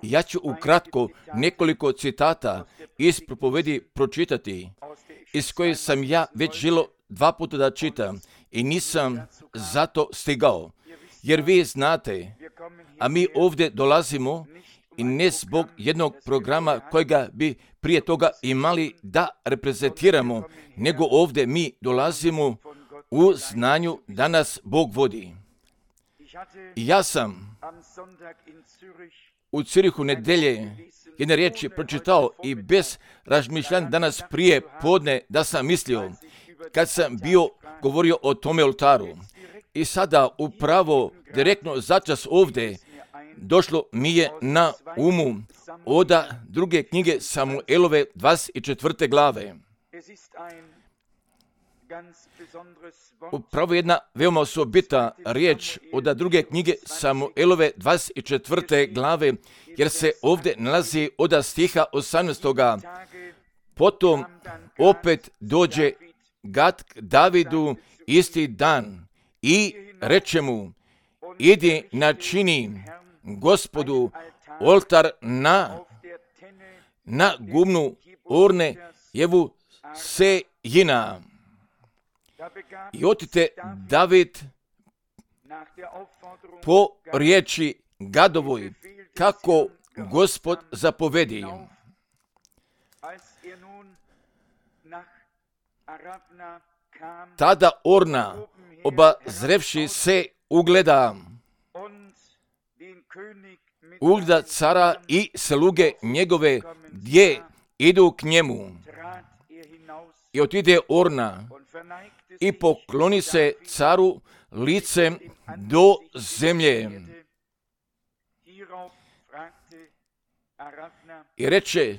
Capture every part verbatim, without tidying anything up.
Ja ću ukratko nekoliko citata iz propovedi pročitati, iz koje sam ja već želio dva puta da čitam i nisam zato stigao. Jer vi znate, a mi ovdje dolazimo i ne zbog jednog programa kojega bi prije toga imali da reprezentiramo, nego ovdje mi dolazimo u znanju da nas Bog vodi. Ja sam u Cirihu nedelje jedne riječi pročitao i bez razmišljanja danas prije podne da sam mislio, kad sam bio govorio o tome oltaru. I sada upravo direktno začas ovdje došlo mi je na umu od druge knjige Samuelove dvadeset četvrte glave. Upravo jedna veoma osobita riječ od druge knjige Samuelove dvadeset četvrte glave, jer se ovdje nalazi od stiha osamnaestoga. Potom opet dođe Gad k Davidu isti dan i reče mu, idi načini Gospodu oltar na, na gumnu Orne jevu Sejina. I otite David po riječi Gadovoj, kako Gospod zapovedi. Tada Orna, obazrevši se, ugleda, ugleda cara i sluge njegove, gdje idu k njemu. I otide Orna i pokloni se caru licem do zemlje. I reče,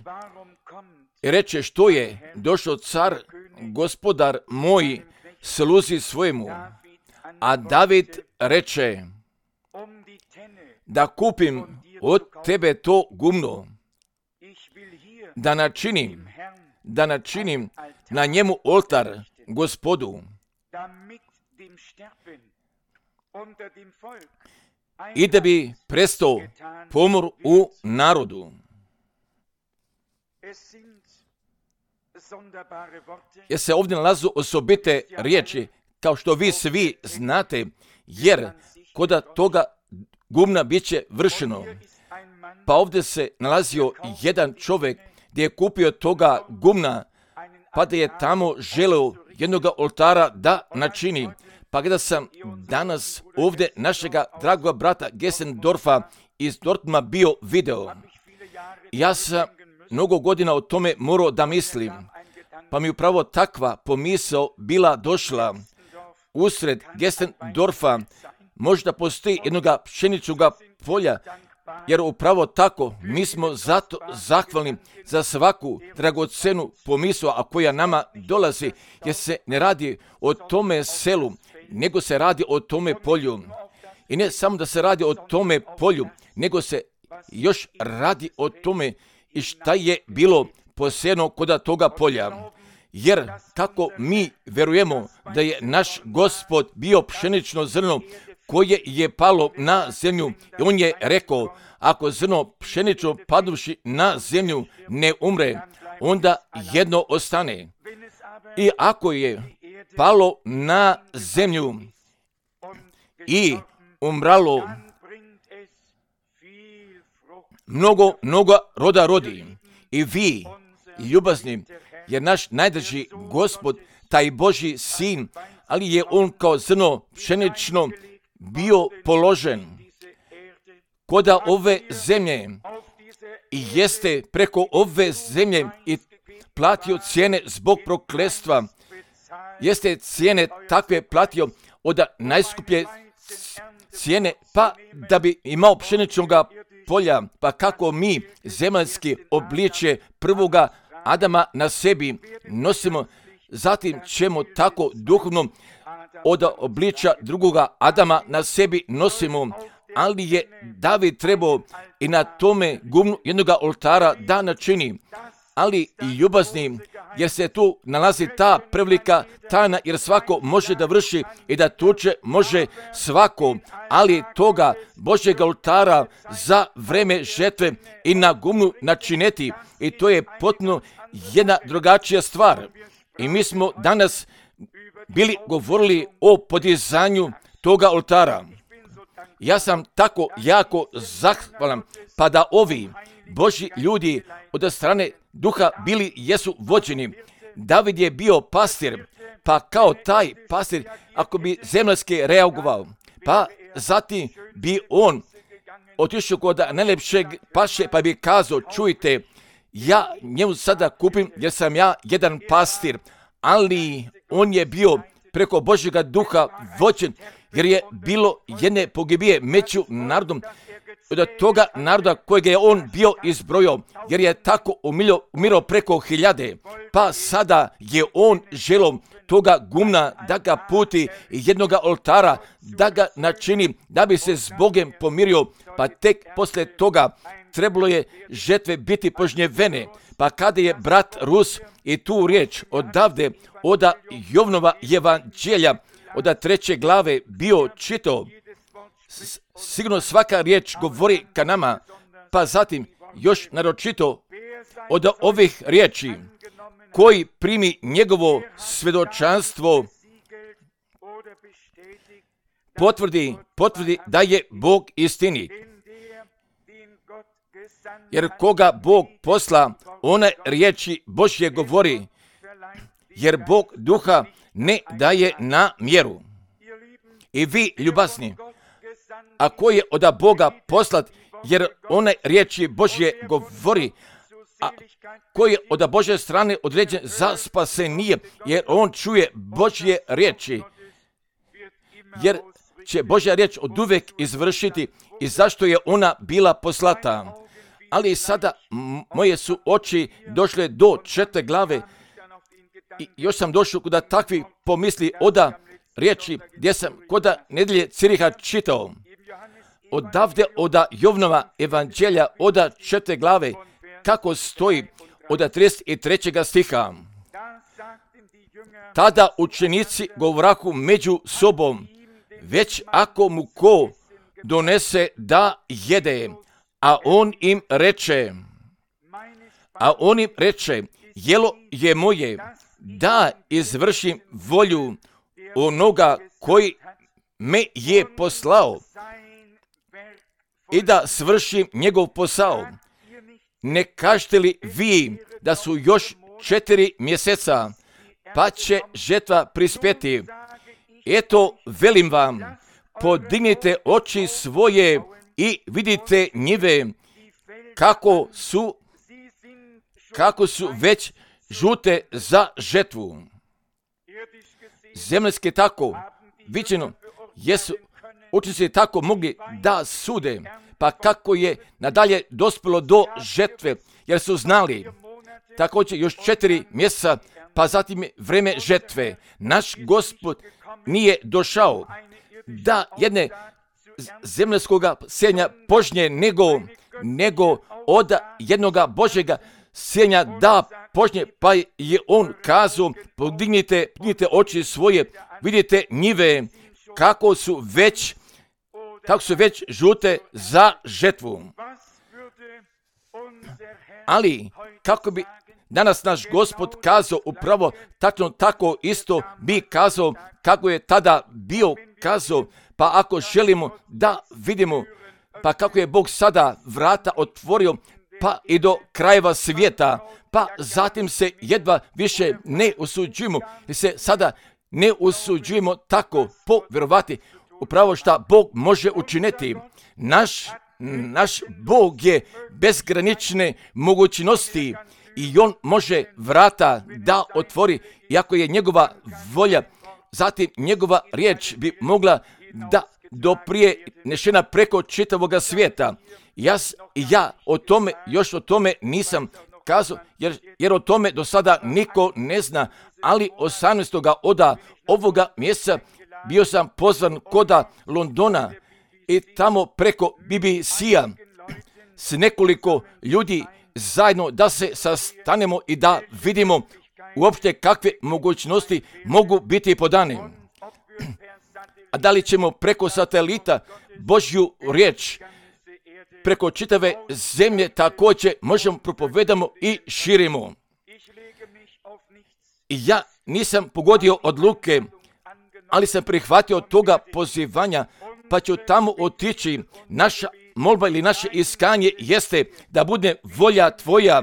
i reče, što je došao car, gospodar moj, sluzi svojemu. A David reče, da kupim od tebe to gumno, da načinim, da načinim na njemu oltar Gospodu, i da bi prestao pomor u narodu. Jer se ovdje nalazu osobite riječi, kao što vi svi znate, jer kod toga gumna bit će vršeno. Pa ovdje se nalazio jedan čovjek gdje je kupio toga gumna, pa da je tamo želeo jednoga oltara da načini. Pa kada sam danas ovdje našega dragoga brata Gesendorfa iz Dortma bio video, ja sam mnogo godina o tome morao da mislim, pa mi upravo takva pomisao bila došla. Usred Gesendorfa možda postoji jednoga pšeničnoga polja, jer upravo tako mi smo zato zahvalni za svaku dragocenu pomisao, a koja nama dolazi, jer se ne radi o tome selu, nego se radi o tome polju. I ne samo da se radi o tome polju, nego se još radi o tome i šta je bilo posejano kod toga polja. Jer kako mi verujemo da je naš Gospod bio pšenično zrno koje je palo na zemlju, i on je rekao, ako zrno pšenično paduvši na zemlju ne umre, onda jedno ostane. I ako je palo na zemlju i umralo, mnogo, mnogo roda rodi. I vi, ljubazni, jer naš najdrži Gospod, taj Božji sin, ali je on kao zrno pšenično bio položen koda ove zemlje i jeste preko ove zemlje i platio cijene zbog prokletstva. Jeste cijene takve platio od najskuplje cijene, pa da bi imao pšeničnoga polja, pa kako mi zemaljski obličje prvoga Adama na sebi nosimo, zatim ćemo tako duhovno od obličja drugoga Adama na sebi nosimo, ali je David trebao i na tome gumnu jednoga oltara da načini. Ali i ljubazni, jer se tu nalazi ta prevelika tajna, jer svako može da vrši i da tuče može svako, ali toga Božjeg oltara za vreme žetve i na gumnu načineti, i to je potpuno jedna drugačija stvar. I mi smo danas bili govorili o podizanju toga oltara. Ja sam tako jako zahvalan, pa da ovi Božji ljudi od strane duha bili jesu vođeni. David je bio pastir, pa kao taj pastir, ako bi zemaljski reagovao, pa zatim bi on otišao kod najlepšeg paše, pa bi kazao, čujte, ja njemu sada kupim jer sam ja jedan pastir, ali on je bio preko Božjega duha vođen, jer je bilo jedne pogibije među narodom, od toga naroda kojeg je on bio izbrojao, jer je tako umilo, umirao preko hiljade, pa sada je on želom toga gumna da ga puti jednoga oltara, da ga načini, da bi se s Bogem pomirio, pa tek posle toga trebalo je žetve biti požnjevene. Pa kada je brat Rus i tu riječ odavde, oda Jovnova evanđelja, od treće glave bio čitao, sigurno svaka riječ govori ka nama, pa zatim još naročito od ovih riječi, koji primi njegovo svjedočanstvo, potvrdi, potvrdi da je Bog istinit. Jer koga Bog posla, one riječi Božje govori, jer Bog duha ne daje na mjeru. I vi, ljubazni, ako je od Boga poslat, jer one riječi Božje govori, a koji je od Božje strane određen za spasenije, jer on čuje Božje riječi, jer će Božja riječ od uvek izvršiti i zašto je ona bila poslata. Ali sada moje su oči došle do četvrte glave i još sam došao kod takvih pomisli oda riječi gdje sam kod nedelje Ciriha čitao. Odavde oda Jovnova evanđelja oda četvrte glave kako stoji od trideset trećeg stiha. Tada učenici govrahu među sobom, već ako mu ko donese da jede, a on im reče, a on im reče, jelo je moje, da izvršim volju onoga koji me je poslao i da svršim njegov posao. Ne kažete li vi da su još četiri mjeseca, pa će žetva prispeti? Eto, velim vam, podignite oči svoje i vidite njive, kako su, kako su već žute za žetvu. Zemljski tako, viđeno, jesu učenici tako mogli da sude, pa kako je nadalje dospjelo do žetve, jer su znali, također još četiri mjeseca, pa zatim je vreme žetve. Naš Gospod nije došao da jedne zemljskoga sjenja požnje nego, nego od jednoga Božjega sjenja da požnje, pa je on kazao, podignite, podignite oči svoje, vidite njive, kako su već, kako su već žute za žetvu. Ali, kako bi danas naš Gospod kazao upravo tačno tako isto bi kazao kako je tada bio kazao, pa ako želimo da vidimo, pa kako je Bog sada vrata otvorio, pa i do krajeva svijeta, pa zatim se jedva više ne usuđujemo, jer se sada ne usuđujemo tako povjerovati upravo šta Bog može učiniti. Naš, naš Bog je bezgranične mogućnosti i on može vrata da otvori, iako je njegova volja, zatim njegova riječ bi mogla da doprije nešena preko čitavoga svijeta. Ja, ja o tome, još o tome nisam kazao, jer, jer o tome do sada niko ne zna, ali osamnaestog oda ovoga mjeseca bio sam pozvan koda Londona i tamo preko B B C-a s nekoliko ljudi zajedno da se sastanemo i da vidimo uopšte kakve mogućnosti mogu biti podane. A da li ćemo preko satelita Božju riječ, preko čitave zemlje također možemo propovedamo i širimo. I ja nisam pogodio odluke, ali sam prihvatio toga pozivanja, pa ću tamo otići. Naša molba ili naše iskanje jeste da bude volja tvoja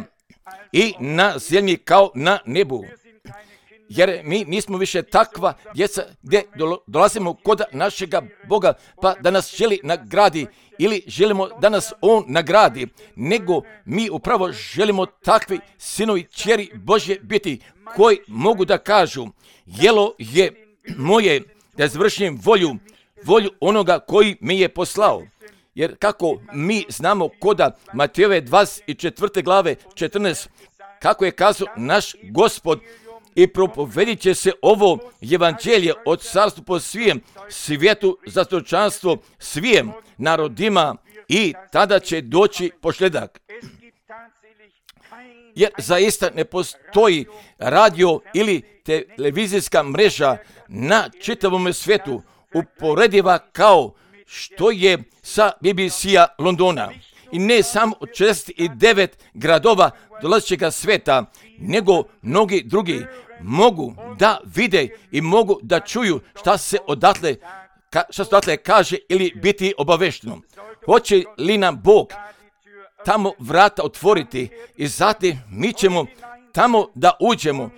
i na zemlji kao na nebu. Jer mi nismo više takva djeca gdje dolazimo kod našega Boga pa da nas želi nagradi ili želimo da nas On nagradi, nego mi upravo želimo takvi sinovi ćeri Božje biti koji mogu da kažu jelo je moje da izvršim volju, volju onoga koji mi je poslao. Jer kako mi znamo koda Matejove dvadeset četvrte glave četrnaest, kako je kazao naš Gospod, i propovedit će se ovo evanđelje od carstva po svijem svijetu za stočanstvo svijem narodima i tada će doći pošljedak. Jer zaista ne postoji radio ili televizijska mreža na čitavom svijetu uporediva kao što je sa B B C-a Londona. I ne samo od šezdeset devet gradova dolazećega sveta, nego mnogi drugi mogu da vide i mogu da čuju šta se odatle, ka, šta se odatle kaže ili biti obavešteno. Hoće li nam Bog tamo vrata otvoriti i zatim mi ćemo tamo da uđemo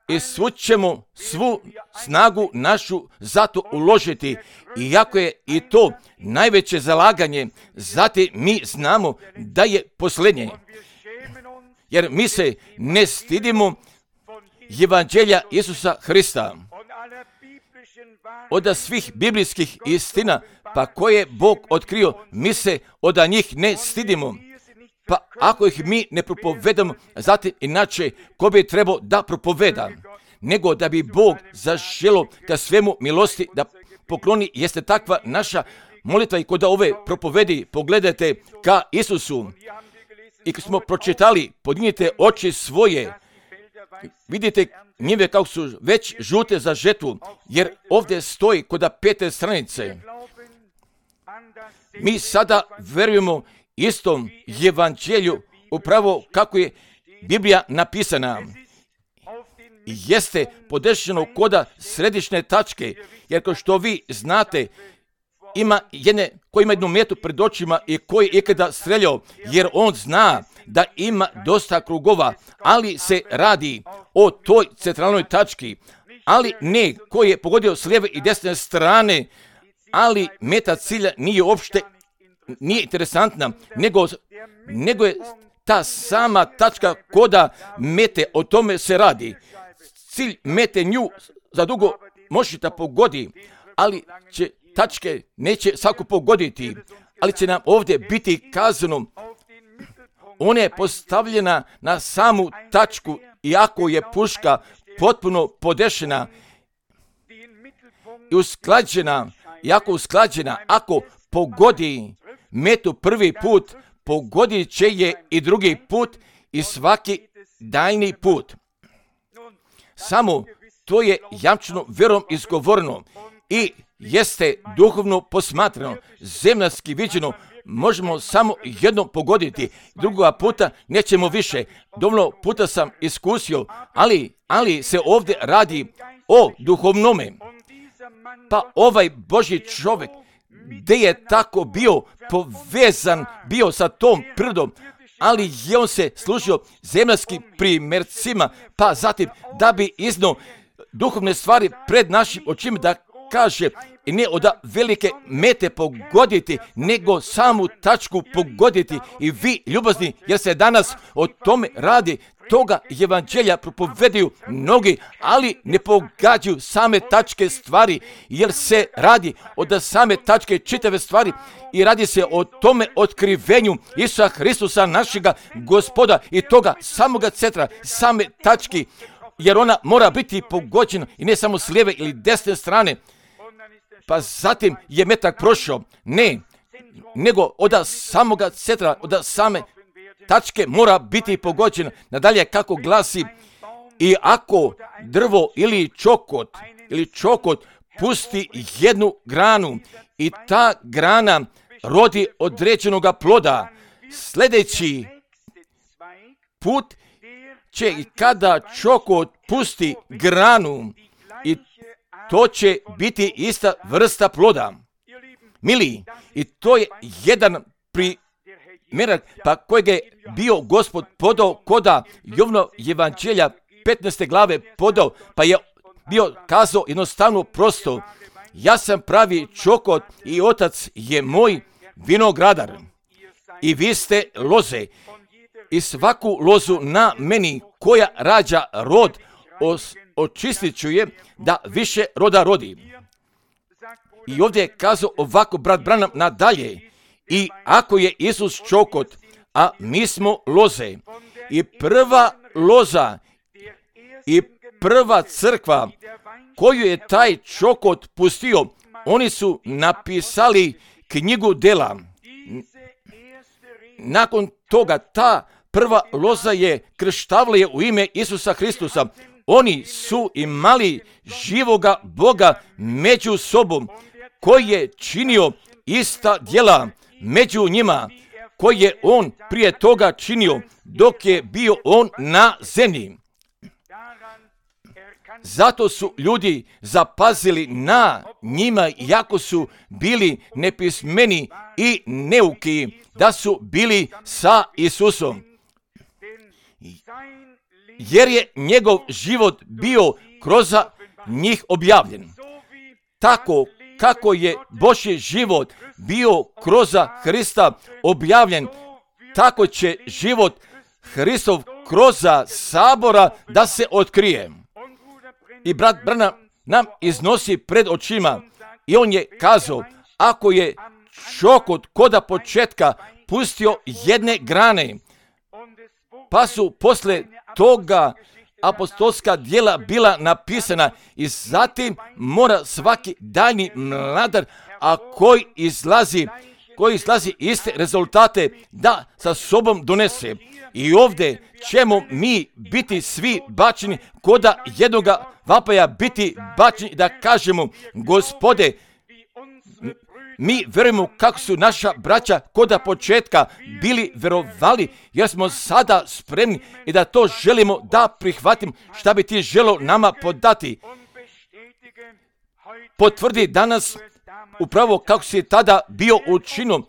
i svu ćemo svu snagu našu zato uložiti. Iako je i to najveće zalaganje, zatim mi znamo da je posljednje. Jer mi se ne stidimo evanđelja Isusa Hrista. Od svih biblijskih istina, pa koje Bog otkrio, mi se od njih ne stidimo. Pa ako ih mi ne propovedamo, zatim inače ko bi trebao da propoveda, nego da bi Bog zaželo ka svemu milosti da pokloni, jeste takva naša molitva i kod ove propovedi pogledajte ka Isusu. I kad smo pročitali, podignite oči svoje, vidite njive kako su već žute za žetvu, jer ovdje stoji kod pete stranice. Mi sada verujemo istom evanđelju upravo kako je Biblija napisana. Jeste podešeno koda središnje tačke, jer kao što vi znate, ima jedne koji ima jednu metu pred očima i koji je ikada streljao, jer on zna da ima dosta krugova, ali se radi o toj centralnoj tački, ali ne koji je pogodio s lijeve i desne strane, ali meta cilja nije uopšte nije interesantna, nego, nego je ta sama tačka koda mete, o tome se radi. Cilj mete nju za dugo može da pogodi, ali će tačke neće svako pogoditi, ali će nam ovdje biti kazano, ona je postavljena na samu tačku, iako je puška potpuno podešena i usklađena, iako usklađena, ako pogodi metu prvi put, pogodit će je i drugi put i svaki daljni put. Samo to je jamčeno vjerom izgovoreno i jeste duhovno posmatrano, zemljanski viđeno, možemo samo jednom pogoditi, drugoga puta nećemo više. Dovoljno puta sam iskusio, ali, ali se ovdje radi o duhovnome. Pa ovaj Božji čovjek, gdje je tako bio povezan, bio sa tom prirodom, ali je on se služio zemljanskim primjercima, pa zatim da bi iznio duhovne stvari pred našim očima da kaže i ne od velike mete pogoditi, nego samu tačku pogoditi. I vi, ljubazni, jer se danas o tome radi, toga evanđelja propovedaju mnogi, ali ne pogađaju same tačke stvari, jer se radi od same tačke čitave stvari i radi se o tome otkrivenju Isusa Hristusa, našega Gospoda, i toga samoga centra, same tački, jer ona mora biti pogođena i ne samo s lijeve ili desne strane. Pa zatim je metak prošao, ne, nego od samoga centra, od same tačke mora biti pogođena. Nadalje kako glasi, I ako drvo ili čokot, ili čokot pusti jednu granu i ta grana rodi određenoga ploda, sljedeći put će i kada čokot pusti granu i to će biti ista vrsta ploda. Mili, i to je jedan primjerak pa kojeg je bio Gospod podao koda Jovno evanđelja petnaeste glave podao, pa je bio kazao jednostavno prosto: ja sam pravi čokot i otac je moj vinogradar i vi ste loze. I svaku lozu na meni koja rađa rod os, očistit ću je da više roda rodi. I ovdje je kazao ovako brat Branham nadalje: i ako je Isus čokot, a mi smo loze, i prva loza i prva crkva koju je taj čokot pustio, oni su napisali knjigu dela. Nakon toga ta prva loza je krštavila je u ime Isusa Hristusa. Oni su imali živoga Boga među sobom, koji je činio ista djela među njima, koji je on prije toga činio dok je bio on na zemlji. Zato su ljudi zapazili na njima, iako su bili nepismeni i neuki, da su bili sa Isusom. Jer je njegov život bio kroz njih objavljen. Tako kako je Božji život bio kroz Hrista objavljen, tako će život Hristov kroz sabora da se otkrije. I brat Branham nam iznosi pred očima i on je kazao: ako je čokot koda početka pustio jedne grane, pa su posle toga apostolska djela bila napisana i zatim mora svaki daljnji mladar, a koji izlazi, koji izlazi iste rezultate da sa sobom donese. I ovdje ćemo mi biti svi bačeni koda jednoga vapaja biti bačeni da kažemo: Gospode, mi vjerujemo kako su naša braća koda početka bili vjerovali, jer smo sada spremni i da to želimo da prihvatimo. Šta bi ti želio nama podati? Potvrdi danas upravo kako si tada bio učinio,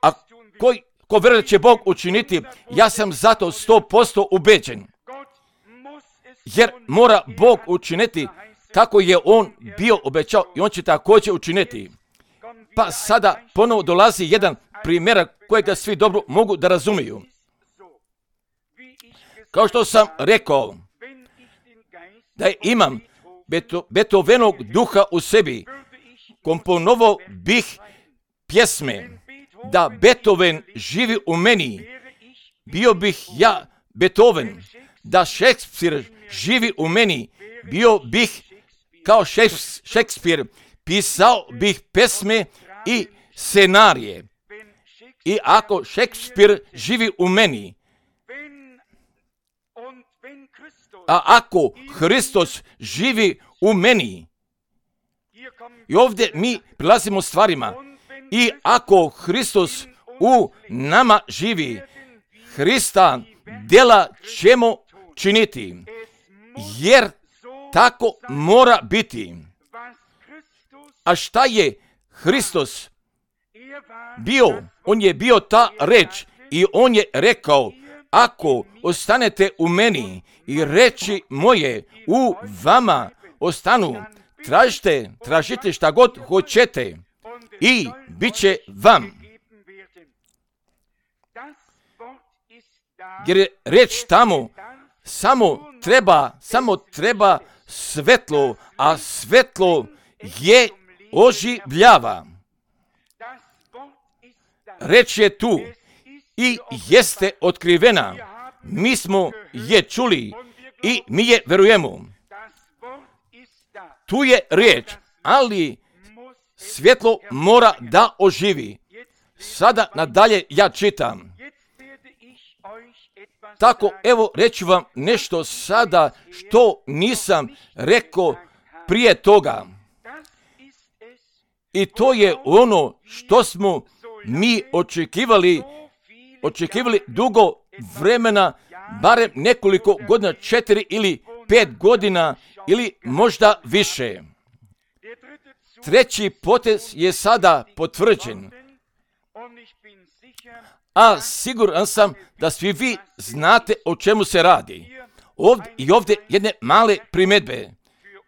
a koji ko vjeruje da će Bog učiniti, ja sam zato sto posto ubeđen. Jer mora Bog učiniti kako je on bio obećao i on će također učiniti. Pa sada ponovo dolazi jedan primjer kojega svi dobro mogu da razumiju. Kao što sam rekao, da imam Beto, Beethovenog duha u sebi, komponovao bih pjesme. Da Beethoven živi u meni, bio bih ja Beethoven. Da Šekspir živi u meni, bio bih kao Šekspir. Pisao bih pesme i scenarije. I ako Šekspir živi u meni, a ako Hristos živi u meni, i ovdje mi prilazimo stvarima, i ako Hristos u nama živi, Hrista djela ćemo činiti, jer tako mora biti. A šta je Hristos bio? On je bio ta reč i on je rekao: ako ostanete u meni i reči moje u vama ostanu, tražite, tražite šta god hoćete i bit će vam. Jer je reč tamo, samo treba, samo treba svetlo, a svetlo je oživljava. Reč je tu i jeste otkrivena. Mi smo je čuli i mi je verujemo. Tu je riječ, ali svjetlo mora da oživi. Sada nadalje ja čitam. Tako, evo, reću vam nešto sada što nisam rekao prije toga. I to je ono što smo mi očekivali, očekivali dugo vremena, barem nekoliko godina, četiri ili pet godina ili možda više. Treći potez je sada potvrđen. A siguran sam da svi vi znate o čemu se radi. Ovdje i ovdje jedne male primjedbe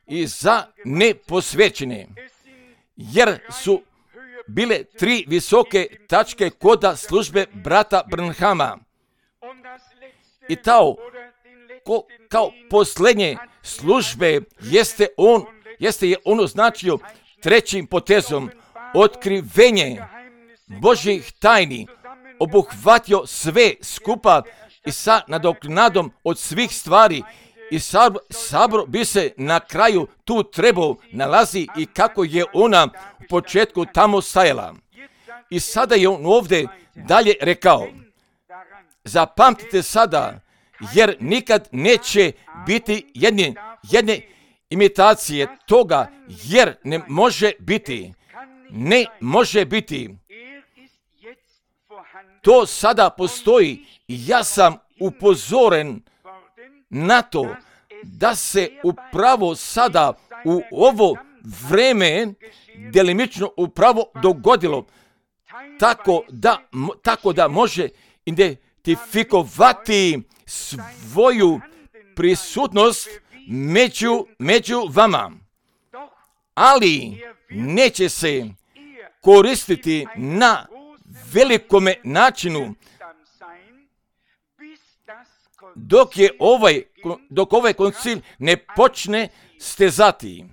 i za neposvećene, jer su bile tri visoke tačke koda službe brata Branhama. I tao, ko, kao posljednje službe jeste on, jeste je on označio trećim potezom, otkrivenje Božjih tajni, obuhvatio sve skupa i sa nadoknadom od svih stvari, i sabor, sabor bi se na kraju tu trebao nalazi i kako je ona u početku tamo stajala. I sada je on ovdje dalje rekao, zapamtite sada, jer nikad neće biti jedne, jedne imitacije toga, jer ne može biti, ne može biti. To sada postoji i ja sam upozoren na to da se upravo sada u ovo vreme delimično upravo dogodilo tako da, tako da može identifikovati svoju prisutnost među, među vama. Ali neće se koristiti na velikome načinu dok je ovaj, dok ovaj koncil ne počne stezati.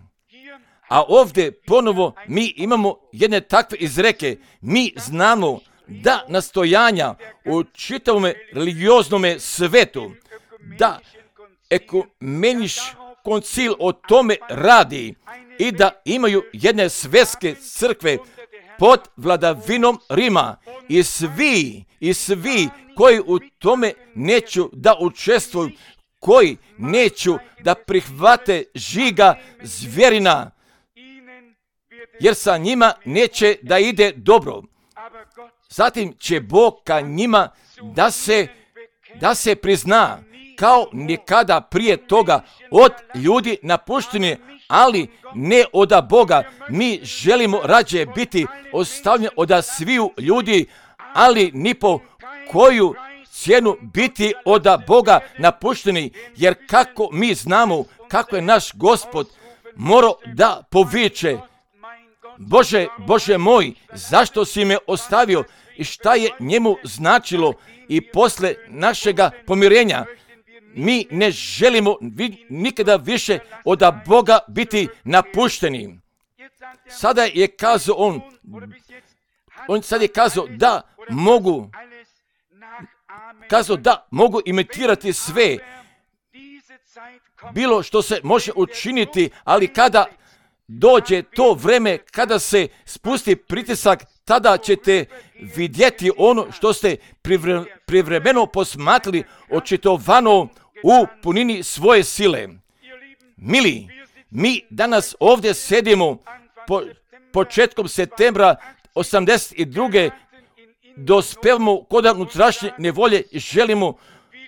A ovdje ponovo mi imamo jedne takve izreke. Mi znamo da nastojanja u čitavom religijoznom svetu, da ekumeniš koncil o tome radi i da imaju jedne svjetske crkve pod vladavinom Rima i svi, i svi koji u tome neću da učestvuju, koji neću da prihvate žiga zvjerina, jer sa njima neće da ide dobro. Zatim će Bog ka njima da se, da se prizna kao nikada prije toga od ljudi napušteni, ali ne od Boga. Mi želimo rađe biti ostavljeni od sviju ljudi, ali ni po koju cijenu biti od Boga napušteni, jer kako mi znamo kako je naš Gospod morao da poviče, Bože, Bože moj, zašto si me ostavio i šta je njemu značilo i posle našega pomirenja. Mi ne želimo nikada više od Boga biti napušteni. Sada je kazao on, on sad je kazao da mogu, kazao da mogu imitirati sve, bilo što se može učiniti, ali kada dođe to vreme, kada se spusti pritisak, tada ćete vidjeti ono što ste privre, privremeno posmatrali, očitovano u punini svoje sile. Mili, mi danas ovdje sedimo po, početkom septembra osamdeset druge dospevamo kod unutrašnje nevolje i želimo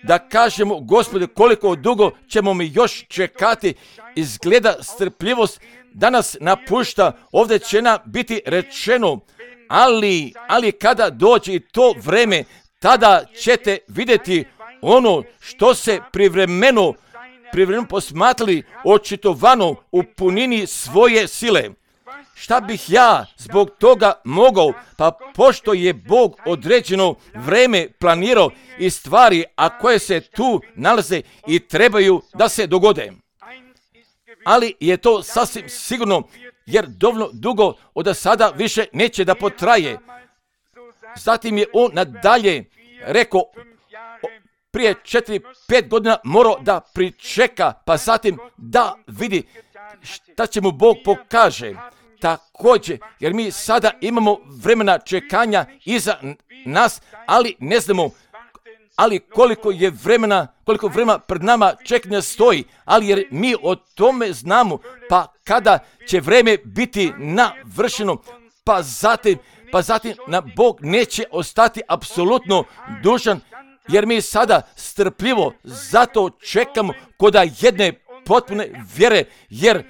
da kažemo, Gospode, koliko dugo ćemo mi još čekati. Izgleda strpljivost danas napušta, ovdje će nam biti rečeno, ali, ali kada dođe to vreme, tada ćete vidjeti ono što se privremeno, privremeno posmatrali, očitovano u punini svoje sile. Šta bih ja zbog toga mogao? Pa pošto je Bog određeno vreme planirao i stvari, a koje se tu nalaze i trebaju da se dogode. Ali je to sasvim sigurno, jer dovoljno dugo od sada više neće da potraje. Zatim je on nadalje rekao, prije četiri, pet godina morao da pričeka, pa zatim da vidi šta će mu Bog pokaže. Također, jer mi sada imamo vremena čekanja iza nas, ali ne znamo ali koliko je vremena, koliko vremena pred nama čekanja stoji, ali jer mi o tome znamo, pa kada će vreme biti navršeno, pa zatim, pa zatim na Bog neće ostati apsolutno dužan, jer mi sada strpljivo zato čekamo koda jedne potpune vjere, jer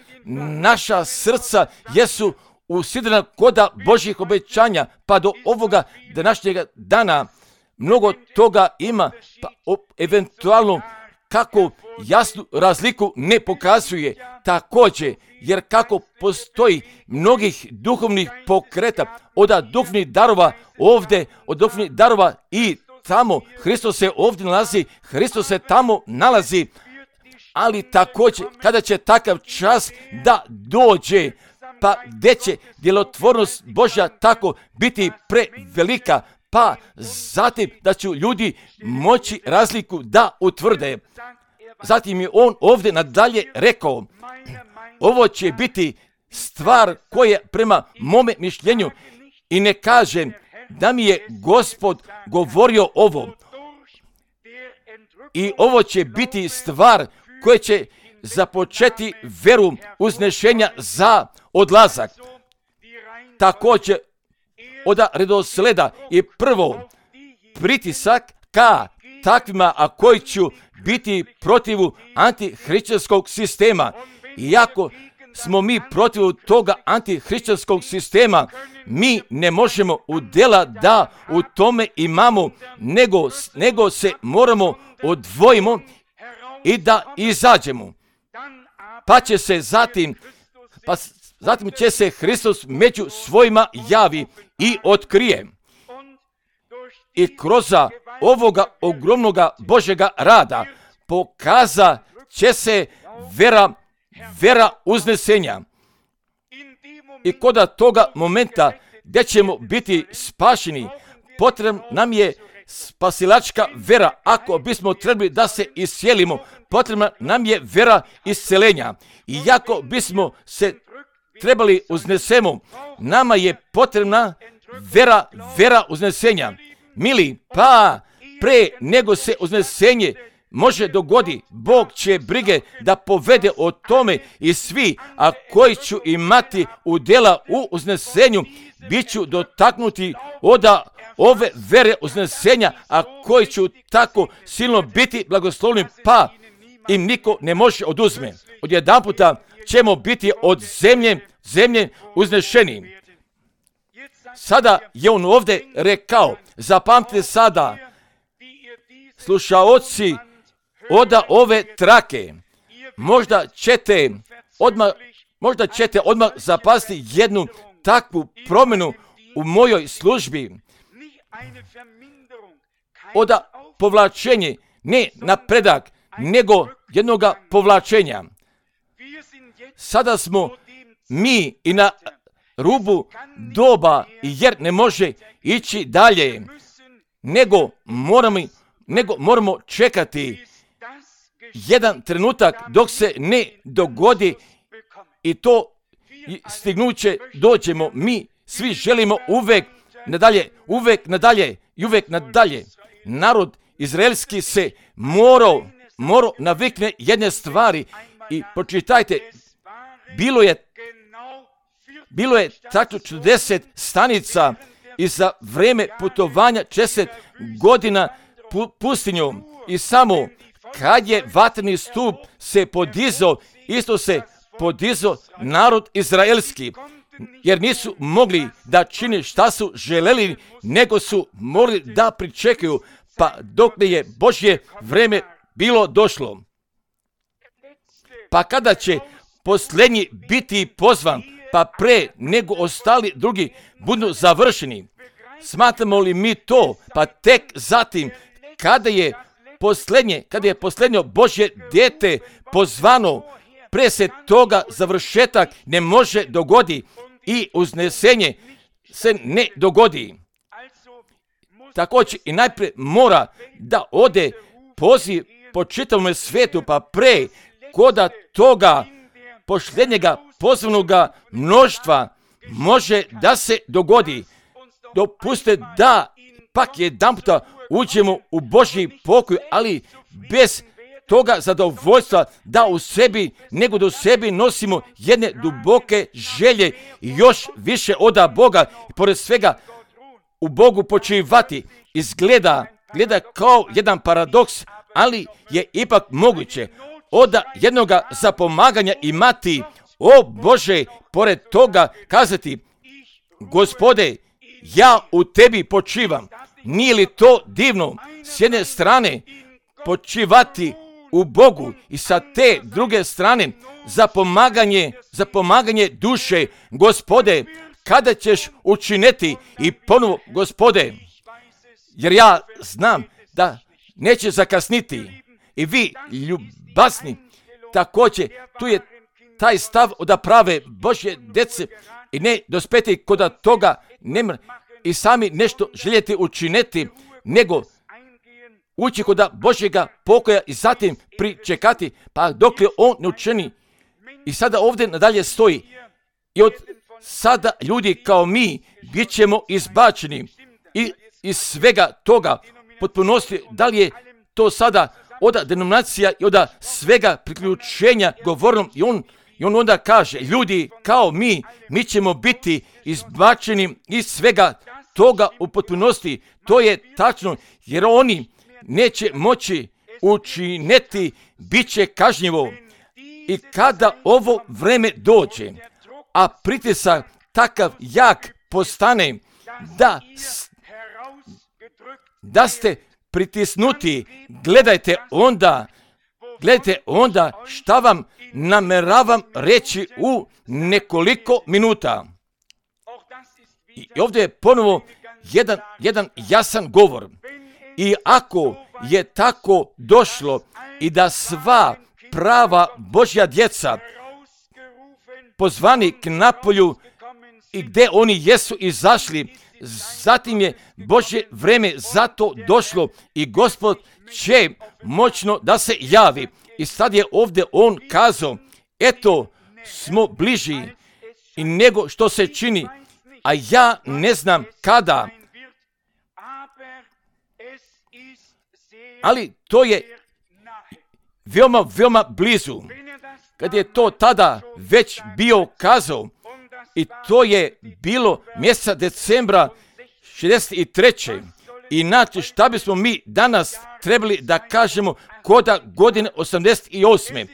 naša srca jesu usidrena koda Božjih obećanja, pa do ovoga današnjega dana mnogo toga ima, pa eventualno kako jasnu razliku ne pokazuje također, jer kako postoji mnogih duhovnih pokreta, od duhovnih darova ovdje, od duhovnih darova i tamo, Hristos se ovdje nalazi, Hristos se tamo nalazi, ali također kada će takav čas da dođe, pa gdje će djelotvornost Božja tako biti prevelika, pa zatim da će ljudi moći razliku da utvrde. Zatim je on ovdje nadalje rekao, ovo će biti stvar koja prema mome mišljenju, i ne kažem da mi je Gospod govorio ovo, i ovo će biti stvar koja će započeti veru uznešenja za odlazak. Također od redosleda je prvo pritisak ka takvima, a koji će biti protivu antihrišćanskog sistema. Iako smo mi protiv toga antihrišćanskog sistema, mi ne možemo udjela da u tome imamo, nego, nego se moramo odvojimo i da izađemo. Pa će se zatim, pa zatim će se Hristos među svojima javi i otkrije. I kroz ovoga ogromnoga Božjega rada pokaza će se vera, vera uznesenja. I kod toga momenta gdje ćemo biti spašeni, potrebna nam je spasilačka vera. Ako bismo trebali da se iscijelimo, potrebna nam je vera isceljenja. I ako bismo se trebali uznesemo, nama je potrebna vera, vera uznesenja. Mili, pa pre nego se uznesenje može dogodi, Bog će brige da povede o tome, i svi, a koji ću imati udjela u uznesenju, bit ću dotaknuti od ove vere uznesenja, a koji ću tako silno biti blagoslovni, pa im niko ne može oduzme. Odjedan puta ćemo biti od zemlje, zemlje uznešeni. Sada je on ovdje rekao, zapamtite sada, slušaoci od ove trake, možda ćete odmah, možda ćete odmah zapasti jednu takvu promjenu u mojoj službi. Od povlačenje, ne napredak, nego jednoga povlačenja. Sada smo mi i na rubu doba, jer ne može ići dalje, nego moramo, nego moramo čekati jedan trenutak dok se ne dogodi, i to stignuće dođemo. Mi svi želimo uvek nadalje, uvek nadalje i uvek nadalje. Narod izraelski se morao, morao navikne jedne stvari, i pročitajte, bilo je Bilo je tako četrdeset stanica, i za vrijeme putovanja četrdeset godina pu, pustinjom, i samo kad je vatreni stup se podizao, isto se podizao narod izraelski, jer nisu mogli da čine šta su želeli, nego su morali da pričekaju, pa dok ne je Božje vrijeme bilo došlo. Pa kada će posljednji biti pozvan, pa pre nego ostali drugi budu završeni, smatramo li mi to, pa tek zatim kada je posljednje, kada je posljednje Božje dijete pozvano, pre se toga završetak ne može dogodi i uznesenje se ne dogodi. Također i najprije mora da ode poziv po čitavom svijetu, pa pre koda toga posljednjega pozvanoga mnoštva može da se dogodi. Dopustite da pak jedan puta uđemo u Božji pokoj, ali bez toga zadovoljstva da u sebi, nego da u sebi nosimo jedne duboke želje i još više oda Boga i pored svega u Bogu počivati. Izgleda gleda kao jedan paradoks, ali je ipak moguće od jednoga zapomaganja imati, o Bože, pored toga kazati, Gospode, ja u tebi počivam. Nije li to divno? S jedne strane počivati u Bogu i sa te druge strane za pomaganje, za pomaganje duše. Gospode, kada ćeš učiniti? I ponovo, Gospode, jer ja znam da neće zakasniti. I vi, ljubazni, također, tu je taj stav od prave Božje djece i ne dospeti kod toga nema i sami nešto željeti učiniti, nego ući kod Božjega pokoja i zatim pričekati, pa dok je on ne učini. I sada ovdje nadalje stoji, i od sada ljudi kao mi bit ćemo izbačeni i iz svega toga potpunosti. Da li je to sada od denominacija i od svega priključenja govornom, i on, i on onda kaže, ljudi kao mi, mi ćemo biti izbačeni iz svega toga u potpunosti. To je tačno, jer oni neće moći učiniti, bit će kažnjivo. I kada ovo vreme dođe, a pritisak takav jak postane, da, da ste pritisnuti, gledajte onda, gledajte onda šta vam nameravam reći u nekoliko minuta. I ovdje je ponovo jedan, jedan jasan govor. I ako je tako došlo i da sva prava Božja djeca pozvani k napolju i gdje oni jesu izašli, zatim je Božje vreme zato došlo i Gospod će moćno da se javi. I sad je ovdje on kazao, eto smo bliži i nego što se čini, a ja ne znam kada. Ali to je veoma, veoma blizu. Kad je to tada već bio kazao, i to je bilo mjeseca decembra šezdeset treće. I znači šta bismo mi danas trebali da kažemo koda godine osamdeset osme.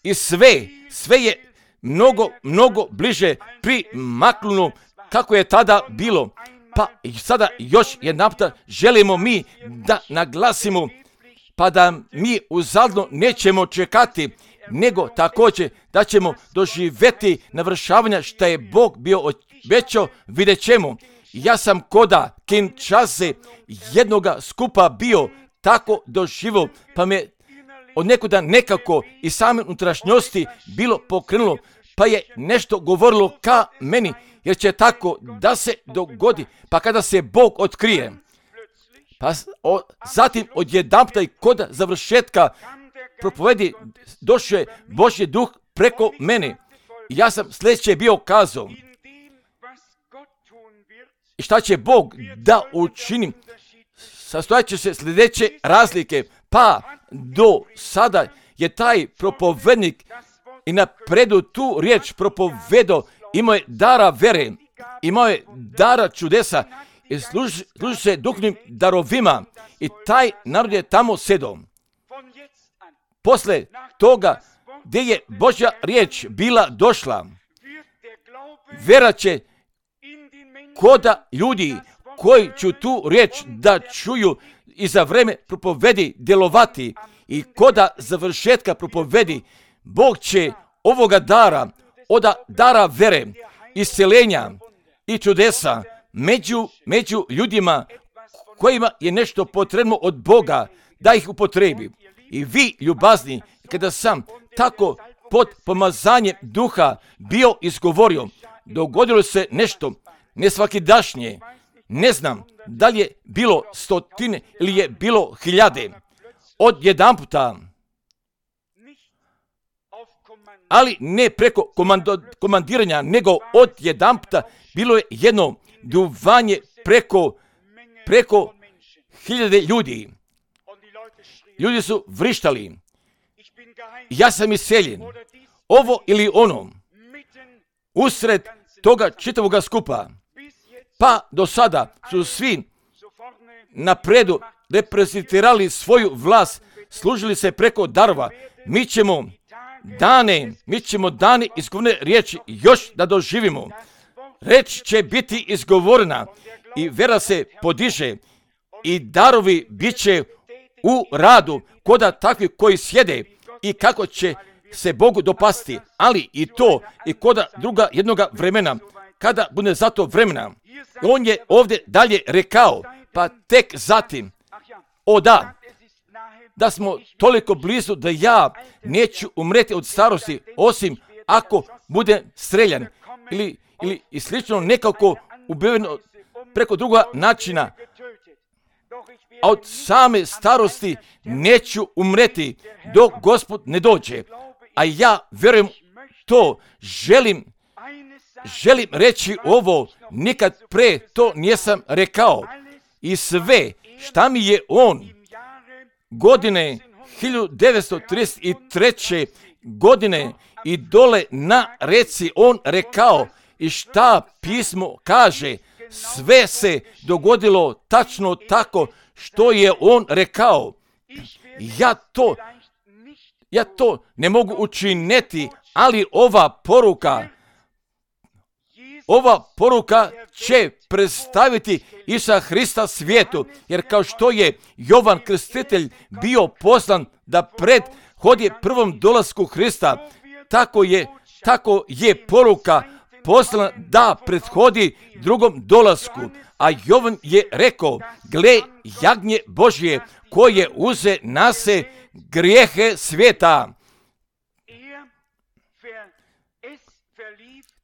I sve, sve je mnogo, mnogo bliže primaknulo kako je tada bilo. Pa i sada još jedna puta želimo mi da naglasimo, pa da mi uzaludno nećemo čekati, nego također da ćemo doživjeti navršavanja što je Bog bio obećao, vidjet ćemo. Ja sam koda Kinshase jednoga skupa bio tako doživio, pa me od nekuda nekako i same unutrašnjosti bilo pokrenulo, pa je nešto govorilo ka meni, jer će tako da se dogodi, pa kada se Bog otkrije. Pa o, zatim odjedanputa i kod završetka propovedi došao je Božji duh preko mene. I ja sam sljedeće bio kazao. I šta će Bog da učini? Sastojat će se sljedeće razlike. Pa do sada je taj propovednik i napredu tu riječ propovedao, imao je dara vere, imao je dara čudesa i služi, služi se duhovnim darovima. I taj narod je tamo sedao. Posle toga gdje je Božja riječ bila došla, vera će koda ljudi koji će tu riječ da čuju i za vreme propovedi djelovati i koda završetka propovedi, Bog će ovoga dara, od dara vere, isceljenja i čudesa među, među ljudima kojima je nešto potrebno od Boga da ih upotrebi. I vi, ljubazni, kada sam tako pod pomazanjem duha bio izgovorio, dogodilo se nešto nesvakidašnje. Ne znam da li je bilo stotine ili je bilo hiljade. Od jedan puta, ali ne preko komando, komandiranja, nego od jedan puta bilo je jedno duvanje preko, preko hiljade ljudi. Ljudi su vrištali, ja sam iseljen, ovo ili ono, usred toga čitavoga skupa. Pa do sada su svi napredu reprezentirali svoju vlast, služili se preko darova. Mi ćemo dane, mi ćemo dane izgovorene riječi još da doživimo. Reč će biti izgovorena i vera se podiže i darovi bit će u radu koda takvi koji sjede i kako će se Bogu dopasti, ali i to i koda druga jednoga vremena, kada bude za to vremena. On je ovdje dalje rekao, pa tek zatim, o da, da smo toliko blizu da ja neću umreti od starosti, osim ako budem streljan ili, ili i slično nekako ubijeno preko druga načina. A od same starosti neću umreti dok Gospod ne dođe. A ja vjerujem to, želim, želim reći ovo, nikad pre to nisam rekao. I sve šta mi je on godine hiljadu devetsto trideset treće godine i dole na reci on rekao i šta pismo kaže, sve se dogodilo tačno tako što je on rekao. Ja to, ja to ne mogu učiniti, ali ova poruka, ova poruka će predstaviti Isusa Hrista svijetu, jer kao što je Jovan Krstitelj bio poslan da prethodi prvom dolasku Hrista, tako je, tako je poruka poslana da prethodi drugom dolasku. A Jovan je rekao, gle jagnje Božje koje uze na se grijehe svijeta.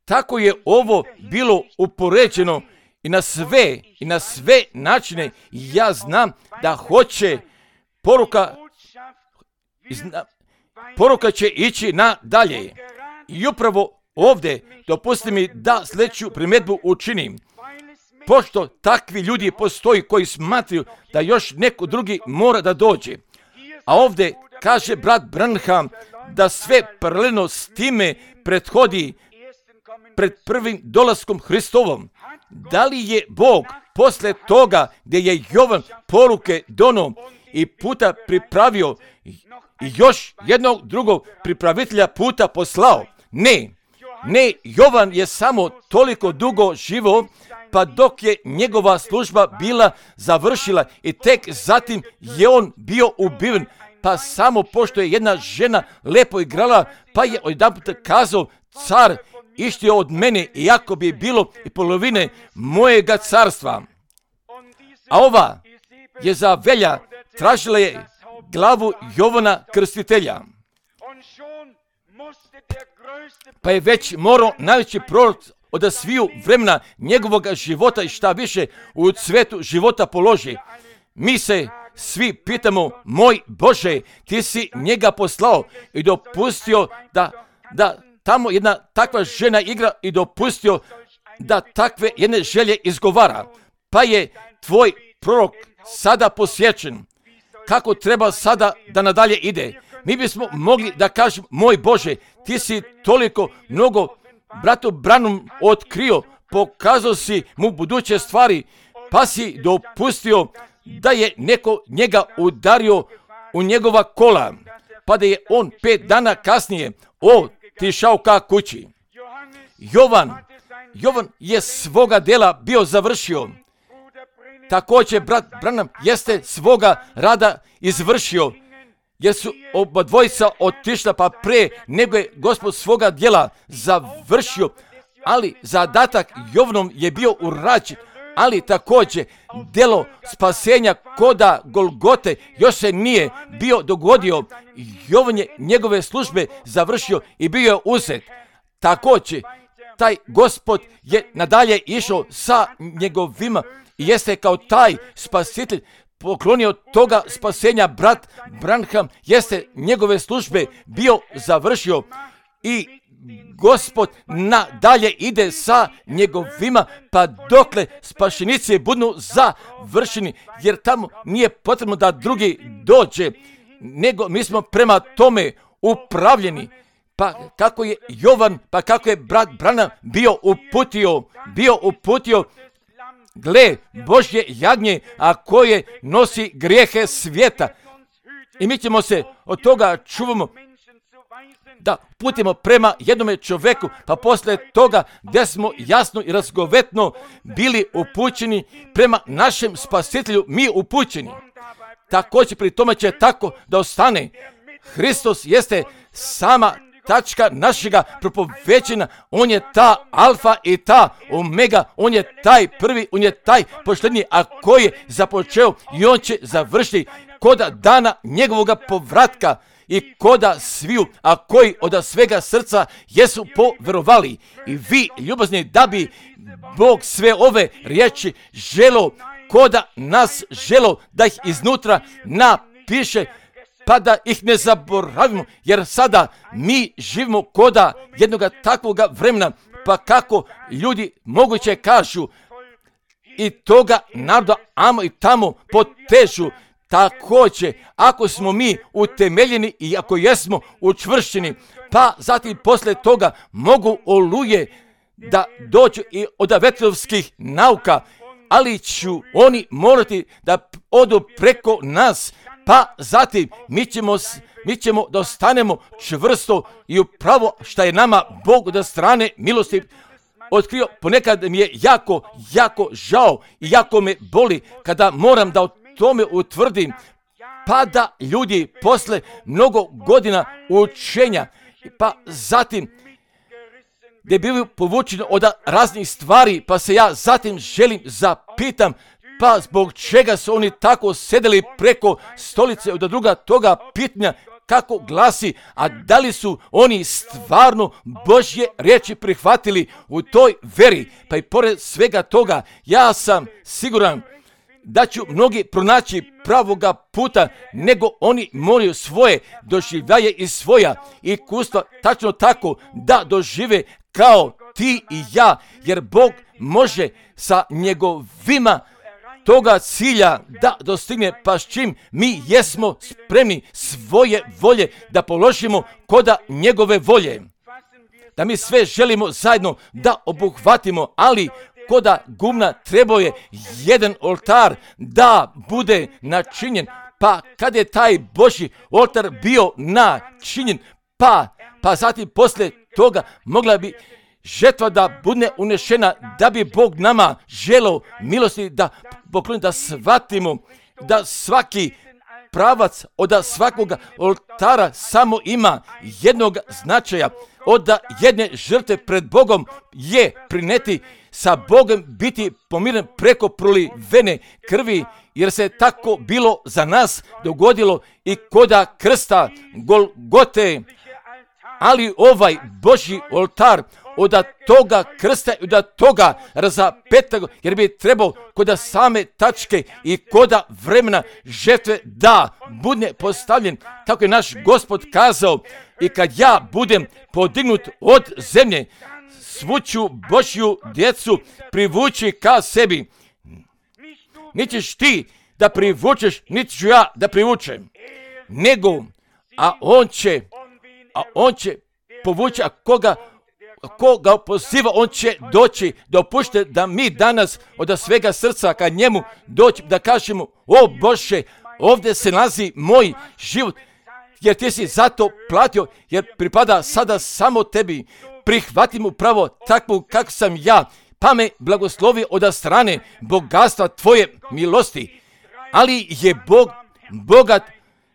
Tako je ovo bilo upoređeno i na sve, i na sve načine. Ja znam da hoće poruka, zna, poruka će ići na dalje. I upravo ovdje dopustite mi da sljedeću primjedbu učinim. Pošto takvi ljudi postoji koji smatraju da još neko drugi mora da dođe. A ovdje kaže brat Branham da sve paralelno s time prethodi pred prvim dolaskom Hristovom. Da li je Bog posle toga gdje je Jovan poruke dono i puta pripravio i još jednog drugog pripravitelja puta poslao? Ne, ne, Jovan je samo toliko dugo živo, pa dok je njegova služba bila završila i tek zatim je on bio ubiven, pa samo pošto je jedna žena lepo igrala, pa je odjedanput kazao, car ištio od mene, iako bi bilo i polovine mojega carstva. A ova je za velja tražila je glavu Jovana Krstitelja. Pa je već morao najveći prorok od sviju vremena njegovog života i šta više u cvetu života položi. Mi se svi pitamo, moj Bože, ti si njega poslao i dopustio da, da tamo jedna takva žena igra i dopustio da takve jedne želje izgovara. Pa je tvoj prorok sada posjećen. Kako treba sada da nadalje ide? Mi bismo mogli da kažemo, moj Bože, ti si toliko mnogo bratu Branham otkrio, pokazao si mu buduće stvari, pa si dopustio da je neko njega udario u njegova kola, pa da je on pet dana kasnije otišao ka kući. Jovan, Jovan je svoga dela bio završio. Također brat Branham jeste svoga rada izvršio, jer su oba dvojica otišla pa pre nego je Gospod svoga djela završio, ali zadatak Jovanom je bio urađen, ali također djelo spasenja koda Golgote još se nije bio dogodio. Jovan je njegove službe završio i bio je uzet. Također taj Gospod je nadalje išao sa njegovima i jeste kao taj spasitelj poklonio toga spasenja. Brat Branham jeste njegove službe bio završio i Gospod nadalje ide sa njegovima, pa dokle spašenici budu završeni, jer tamo nije potrebno da drugi dođe, nego mi smo prema tome upravljeni. Pa kako je Jovan, pa kako je brat Branham bio uputio, bio uputio, gle, Božje jagnje, a koje nosi grijehe svijeta. I mi ćemo se od toga čuvamo da putimo prema jednome čovjeku, pa poslije toga gdje smo jasno i razgovetno bili upućeni prema našem spasitelju, mi upućeni. Također pri tome će tako da ostane. Hristos jeste sama tačka našega propoveđenja, on je ta alfa i ta omega, on je taj prvi, on je taj poštenji, a koji je započeo i on će završiti koda dana njegovoga povratka i koda sviju, a koji od svega srca jesu poverovali. I vi, ljubazni, da bi Bog sve ove riječi želo, koda nas želo da ih iznutra napiše, pa da ih ne zaboravimo, jer sada mi živimo koda jednoga takvoga vremena, pa kako ljudi moguće kažu i toga naroda amo i tamo potežu. Također, ako smo mi utemeljeni i ako jesmo učvršćeni, pa zatim poslije toga mogu oluje da dođu i od vetrovskih nauka, ali ću oni morati da odu preko nas, pa zatim mi ćemo, mi ćemo da ostanemo čvrsto i upravo što je nama Bog od strane milosti otkrio. Ponekad mi je jako, jako žao i jako me boli kada moram da o tome utvrdim, pa da ljudi posle mnogo godina učenja, pa zatim gdje bili povučeni od raznih stvari, pa se ja zatim želim zapitam, pa zbog čega su oni tako sedeli preko stolice od druga toga pitanja kako glasi, a da li su oni stvarno Božje riječi prihvatili u toj veri. Pa i pored svega toga ja sam siguran da ću mnogi pronaći pravoga puta, nego oni moraju svoje doživljaje i svoja iskustva tačno tako da dožive kao ti i ja, jer Bog može sa njegovima toga cilja da dostigne, pa s čim mi jesmo spremni svoje volje da položimo koda njegove volje. Da mi sve želimo zajedno da obuhvatimo, ali koda gumna trebao je jedan oltar da bude načinjen, pa kad je taj Božji oltar bio načinjen, pa, pa zatim poslije toga mogla bi žetva da bude unešena, da bi Bog nama želeo milosti da pokloni, da shvatimo da svaki pravac od svakog oltara samo ima jednog značaja. Od jedne žrtve pred Bogom je prineti sa Bogom biti pomiren preko prolivene krvi, jer se tako bilo za nas dogodilo i koda krsta Golgote. Ali ovaj Božji oltar od toga krsta i od toga razapetog, jer bi trebao koda same tačke i koda vremena žrtve da bude postavljen, tako je naš Gospod kazao, i kad ja budem podignut od zemlje, svu ću Božju djecu privući ka sebi. Niti ćeš ti da privučeš, niti ću ja da privučem, nego, a on će, a on će povući, a koga ko ga poziva, on će doći. Dopušte da mi danas od svega srca ka njemu doći, da kažemo, o Bože, ovdje se nalazi moj život, jer ti si zato platio, jer pripada sada samo tebi. Prihvatim upravo takvu kako sam ja, pa me blagoslovi od strane bogatstva tvoje milosti. Ali je Bog bogat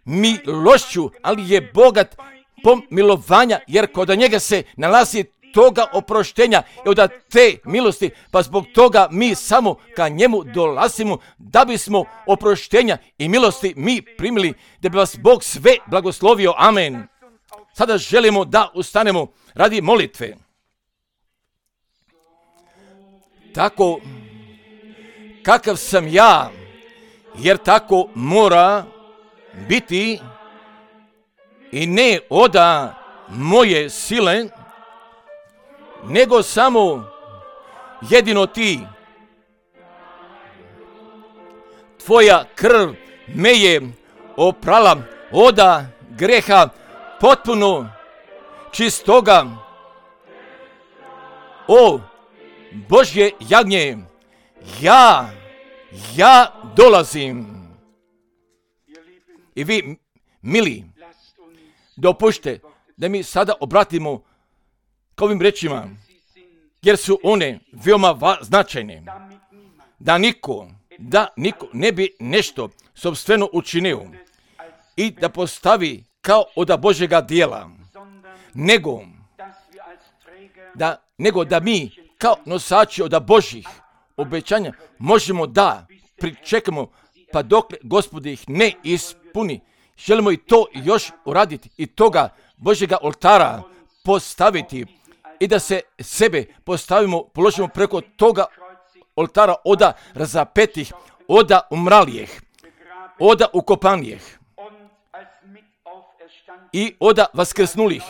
milošću, ali je bogat pomilovanja, jer kod njega se nalazi toga oproštenja i od te milosti, pa zbog toga mi samo ka njemu dolazimo da bismo oproštenja i milosti mi primili, da bi vas Bog sve blagoslovio. Amen. Sada želimo da ustanemo radi molitve. Tako kakav sam ja, jer tako mora biti i ne oda moje sile nego samo jedino ti. Tvoja krv me je oprala oda greha potpuno čistoga. O Božje jagnje, ja, ja dolazim. I vi, mili, dopušte da mi sada obratimo k ovim rečima, jer su one veoma va- značajne. Da niko, da niko ne bi nešto sopstveno učinio i da postavi kao od Božjega dijela, nego da, nego da mi kao nosači od Božjih obećanja možemo da pričekamo pa dok Gospod ih ne ispuni. Želimo i to još uraditi i toga Božjega oltara postaviti i da se sebe postavimo, položimo preko toga oltara oda razapetih, oda umralijeh, oda ukopanijeh i oda vaskrsnulih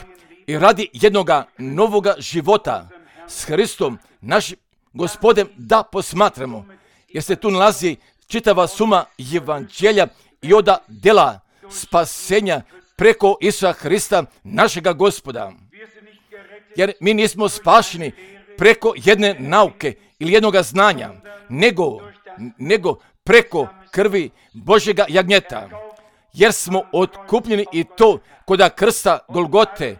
i radi jednoga novoga života s Hristom, našim Gospodem, da posmatramo, jer se tu nalazi čitava suma evanđelja i oda dela spasenja preko Isusa Hrista, našega Gospoda. Jer mi nismo spašeni preko jedne nauke ili jednoga znanja, nego, nego preko krvi Božjega jagnjeta. Jer smo otkupljeni i to koda krsta Golgote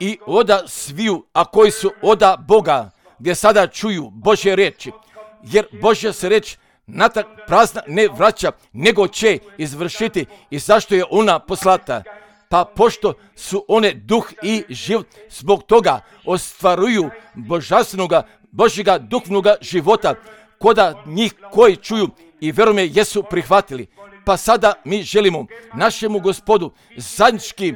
i oda sviju, a koji su oda Boga, gdje sada čuju Božje riječi. Jer Božja se reč natrag prazna ne vraća, nego će izvršiti i zašto je ona poslata. Pa pošto su one duh i život, zbog toga ostvaruju božanstvenoga, Božjega duhovnoga života, koda njih koji čuju i verume jesu prihvatili. Pa sada mi želimo našemu Gospodu zajednički,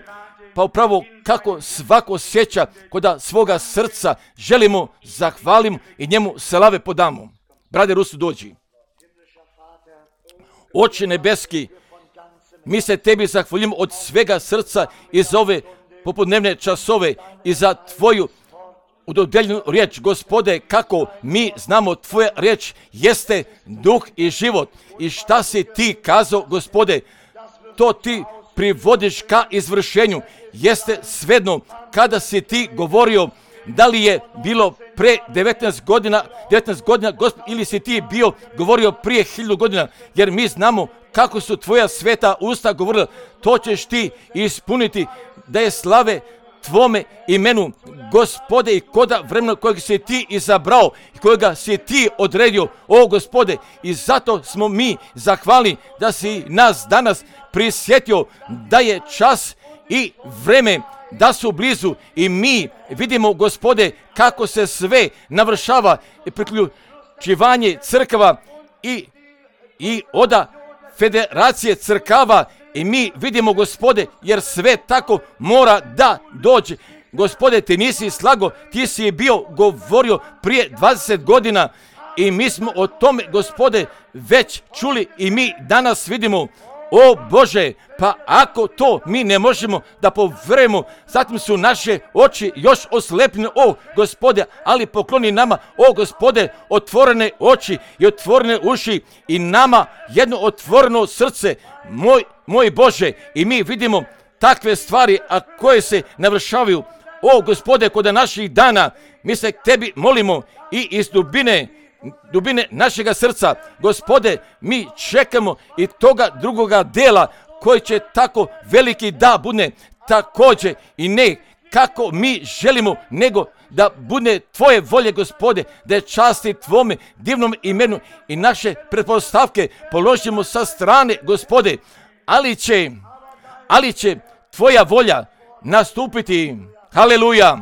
pa upravo kako svako osjeća koda svoga srca, želimo zahvalimo i njemu slave podamo. Brade Rusu, dođi. Oče nebeski, mi se tebi zahvaljujemo od svega srca i za ove popodnevne časove i za tvoju udodeljenu riječ, Gospode, kako mi znamo tvoja riječ jeste duh i život. I šta si ti kazao, Gospode, to ti privodiš ka izvršenju. Jeste svedno kada si ti govorio, da li je bilo pre devetnaest godina, devetnaest godina, Gospod, ili si ti bio govorio prije hiljadu godina, jer mi znamo kako su tvoja sveta usta govorila, to ćeš ti ispuniti, da je slave tvome imenu, Gospode, i koda vremena kojeg si ti izabrao i kojega si ti odredio, o Gospode, i zato smo mi zahvalni da si nas danas prisjetio da je čas i vreme da su blizu i mi vidimo, Gospode, kako se sve navršava i priključivanje crkava i, i oda federacije crkava i mi vidimo, Gospode, jer sve tako mora da dođe. Gospode, ti nisi slago, ti si bio govorio prije dvadeset godina i mi smo o tome, Gospode, već čuli i mi danas vidimo. O Bože, pa ako to mi ne možemo da poverujemo, zatim su naše oči još oslepljene, o Gospode, ali pokloni nama, o Gospode, otvorene oči i otvorene uši i nama jedno otvoreno srce, moj, moj Bože, i mi vidimo takve stvari, a koje se navršavaju. O Gospode, kod naših dana, mi se tebi molimo i iz dubine, dubine našega srca, Gospode, mi čekamo i toga drugoga dela koji će tako veliki da bude također i ne kako mi želimo, nego da bude tvoje volje, Gospode, da je časti tvome divnom imenu i naše pretpostavke položimo sa strane, Gospode, ali će, ali će tvoja volja nastupiti. Haleluja!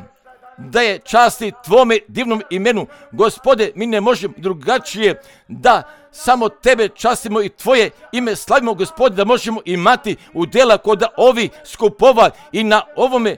Da je časti tvome divnom imenu. Gospode, mi ne možemo drugačije da samo tebe častimo i tvoje ime slavimo, Gospode, da možemo imati udjela kod ovi skupova i na ovome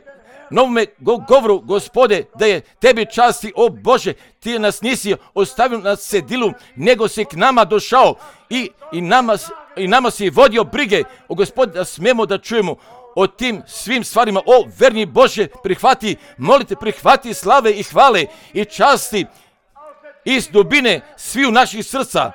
novome govoru, Gospode, da je tebi časti, o Bože, ti nas nisi ostavio na cedilu, nego si k nama došao i, i, nama, i nama si vodio brige, o Gospode, da smemo da čujemo. o tim svim stvarima. O, verni Bože, prihvati, molite, prihvati slave i hvale i časti iz dubine sviju naših srca.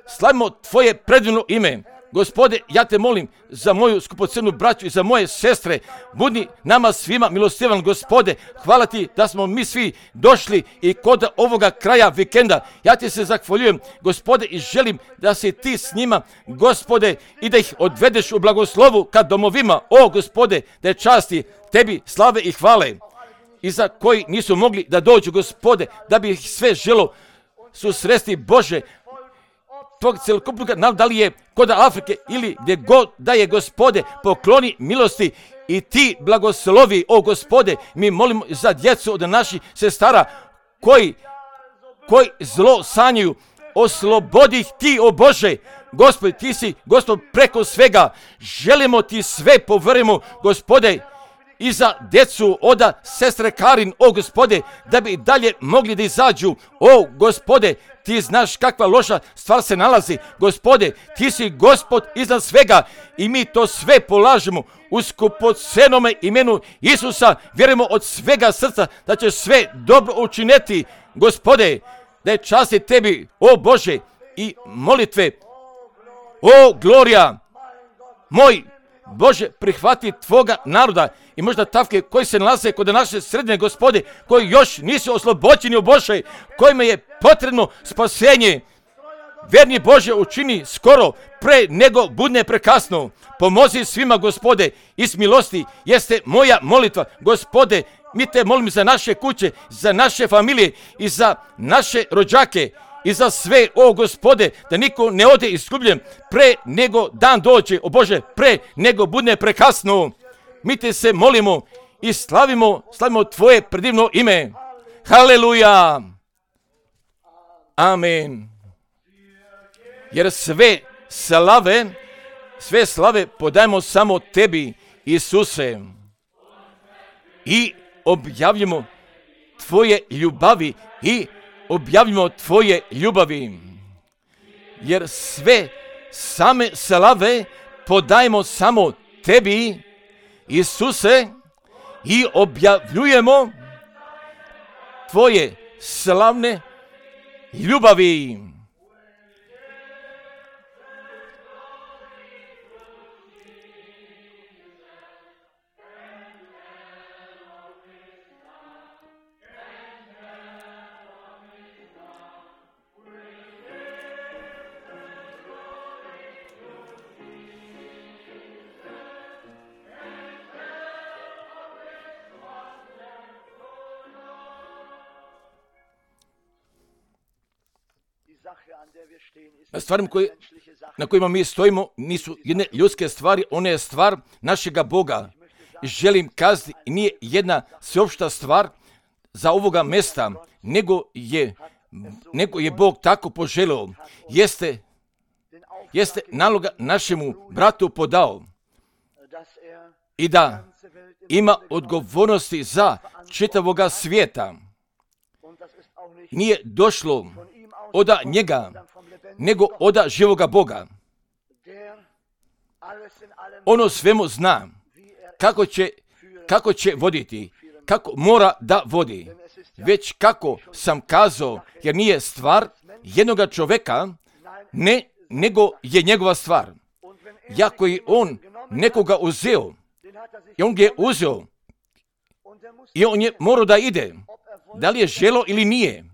Slavimo Tvoje predivno ime. Gospode, ja te molim za moju skupocenu braću i za moje sestre. Budi nama svima milostivan, Gospode. Hvala ti da smo mi svi došli i kod ovoga kraja vikenda. Ja ti se zahvaljujem, Gospode, i želim da si ti s njima, Gospode, i da ih odvedeš u blagoslovu ka domovima. O, Gospode, da je časti tebi slave i hvale. I za koji nisu mogli da dođu, Gospode, da bi ih sve želo susresti, Bože, tvog celokupnog naroda, da li je kod Afrike ili gdje god da je, Gospode, pokloni milosti i ti blagoslovi, o Gospode. Mi molimo za djecu od naših sestara koji, koji zlo sanjaju, oslobodi ih ti, o Bože. Gospod, ti si, Gospod, preko svega. Želimo ti sve poverimo, Gospode, i za djecu oda sestre Karin, o Gospode, da bi dalje mogli da izađu. O Gospode, ti znaš kakva loša stvar se nalazi. Gospode, ti si Gospod iznad svega i mi to sve polažemo u skupocenome imenu Isusa. Vjerujemo od svega srca da će sve dobro učiniti, Gospode, da je časti tebi, o Bože, i molitve. O glorija, moj Bože, prihvati Tvoga naroda i možda tavke koji se nalaze kod naše sredine, Gospode, koji još nisu oslobođeni, o Bože, kojima je potrebno spasenje. Verni Bože, učini skoro, pre nego budne prekasno. Pomozi svima, Gospode, iz milosti jeste moja molitva. Gospode, mi te molim za naše kuće, za naše familije i za naše rođake. I za sve, o Gospode, da niko ne ode izgubljen pre nego dan dođe, o Bože, pre nego bude prekasno. Mi te se molimo i slavimo, slavimo Tvoje predivno ime. Haleluja. Amen. Jer sve slave, sve slave podajemo samo Tebi, Isuse. I objavljamo Tvoje ljubavi i objavimo Tvoje ljubavi, jer sve same slave podajemo samo Tebi, Isuse, i objavljujemo Tvoje slavne ljubavi. Stvari koje, na kojima mi stojimo nisu jedne ljudske stvari, one je stvar našega Boga. Želim kazati, nije jedna sveopšta stvar za ovoga mesta, nego je, nego je Bog tako poželio. Jeste, jeste naloga našemu bratu podao i da ima odgovornosti za čitavoga svijeta. Nije došlo od njega, nego od živoga Boga. Ono svemu zna kako će, kako će voditi, kako mora da vodi. Već kako sam kazao, jer nije stvar jednoga čovjeka, ne, nego je njegova stvar. Jako je on nekoga uzeo, i on ga je uzeo, i on je morao da ide. Da li je želo ili nije?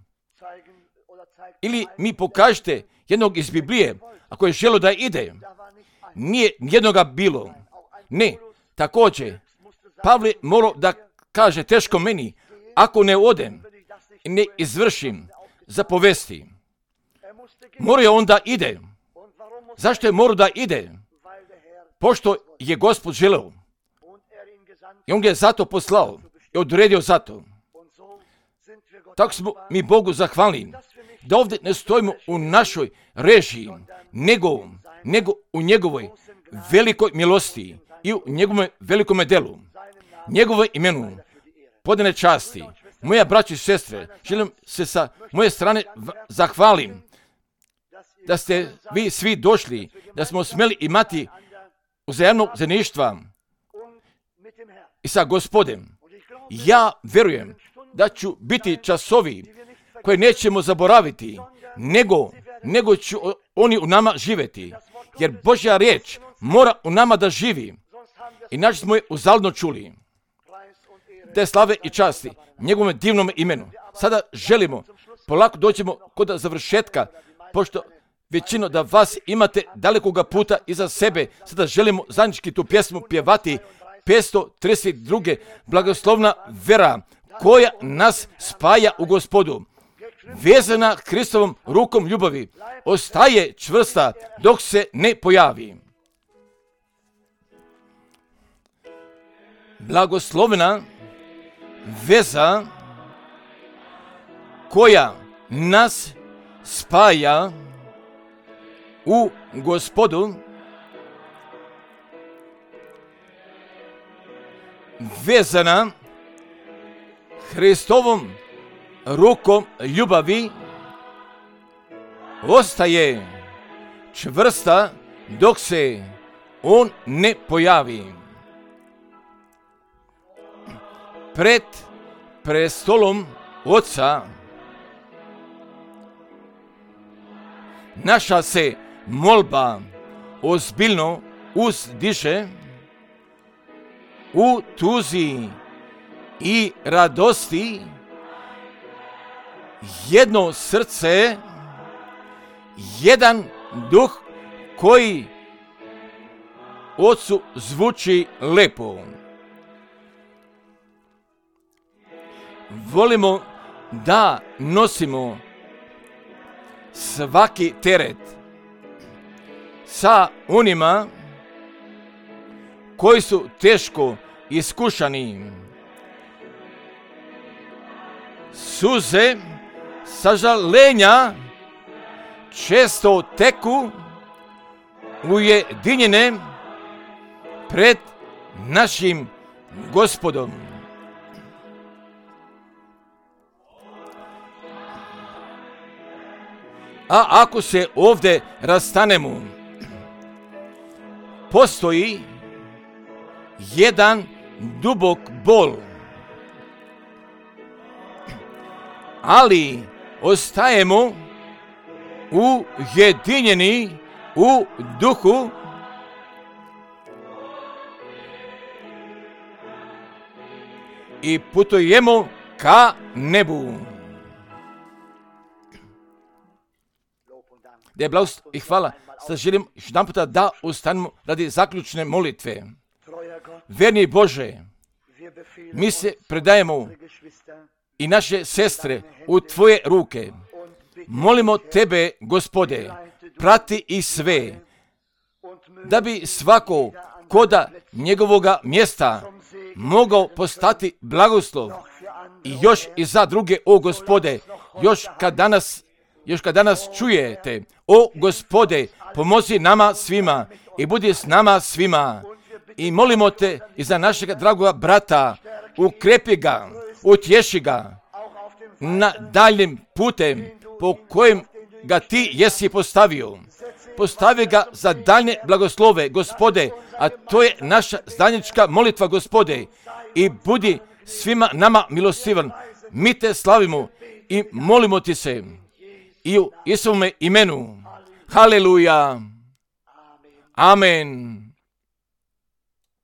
Ili mi pokažete jednog iz Biblije, ako je želo da ide. Nije jednoga bilo. Ne, također, Pavle morao da kaže teško meni, ako ne odem i ne izvršim zapovesti. Morao je on da ide. Zašto je morao da ide? Pošto je Gospod želeo. I on ga je zato poslao i odredio zato. Tako smo mi Bogu zahvalni, da ovdje ne stojimo u našoj režiji, nego, nego u njegovoj velikoj milosti i u njegovom velikom delu, njegovoj imenu, podane časti. Moja braća i sestre, želim se sa moje strane zahvalim da ste vi svi došli, da smo smjeli imati uzajamnog zajedništva. i sa Gospodem. Ja vjerujem da ću biti časovi koje nećemo zaboraviti, nego, nego će oni u nama živjeti. Jer Božja riječ mora u nama da živi. Inače smo je uzaludno čuli. Te slave i časti njegovom divnom imenu. Sada želimo, polako dođemo kod završetka, pošto većino da vas imate dalekoga puta iza sebe. Sada želimo zajednički tu pjesmu pjevati. petsto trideset dva. Blagoslovna vera koja nas spaja u Gospodu. Vezana Hristovom rukom ljubavi, ostaje čvrsta dok se ne pojavi. Blagoslovna veza koja nas spaja u Gospodu, vezana Hristovom rukom ljubavi, ostaje čvrsta dok se on ne pojavi. Pred prestolom Oca naša se molba ozbiljno uzdiže, u tuzi i radosti jedno srce, jedan duh koji Ocu zvuči lepo. Volimo da nosimo svaki teret sa onima koji su teško iskušani. Suze sažalenja često teku ujedinjene pred našim Gospodom. A ako se ovdje rastanemo, postoji jedan dubok bol, ali ostajemo ujedinjeni u duhu i putujemo ka nebu. Da je blagost i hvala. Sad želim još jedan puta da ustanemo radi zaključne molitve. Verni Bože, mi se predajemo i naše sestre u Tvoje ruke. Molimo Tebe, Gospode, prati i sve, da bi svako koda njegovoga mjesta mogao postati blagoslov i još i za druge, o Gospode, još kad danas Još kad danas čujete, o Gospode, pomozi nama svima i budi s nama svima. I molimo Te i za našeg dragoga brata, ukrepi ga, utješi ga na daljnim putem po kojem ga Ti jesi postavio. Postavi ga za daljne blagoslove, Gospode, a to je naša zajednička molitva, Gospode. I budi svima nama milostivan. Mi Te slavimo i molimo Ti se. I u Isovome imenu. Haleluja. Amen.